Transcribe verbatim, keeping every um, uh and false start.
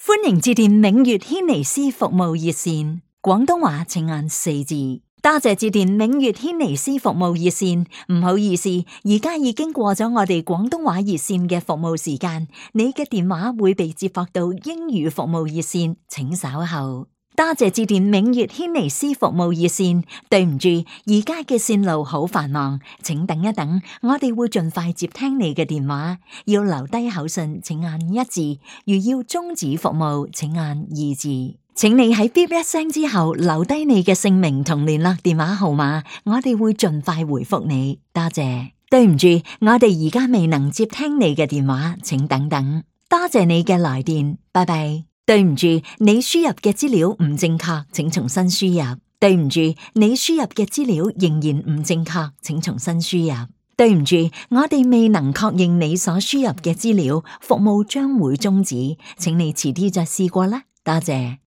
歡迎致電明月軒尼詩服務熱線，廣東話請按四字。多謝致電明月軒尼詩服務熱線，唔好意思，而家已經過咗我哋廣東話熱線嘅服務時間，你嘅電話會被接駁到英語服務熱線，請稍後。多謝致電明月軒尼詩服務熱線，對唔住，而家嘅線路好繁忙，請等一等，我哋會盡快接聽你嘅電話。要留低口信，請按一字；如要終止服務，請按二字。請你喺嗶一聲之後留低你嘅姓名同聯絡電話號碼，我哋會盡快回覆你。多謝。對唔住，我哋而家未能接聽你嘅電話，請等等。多謝你嘅來電，拜拜。對唔住，你輸入嘅資料唔正確，請重新輸入。對唔住，你輸入嘅資料仍然唔正確，請重新輸入。對唔住，我哋未能確認你所輸入嘅資料，服務將會終止，請你遲啲再試過啦。多謝。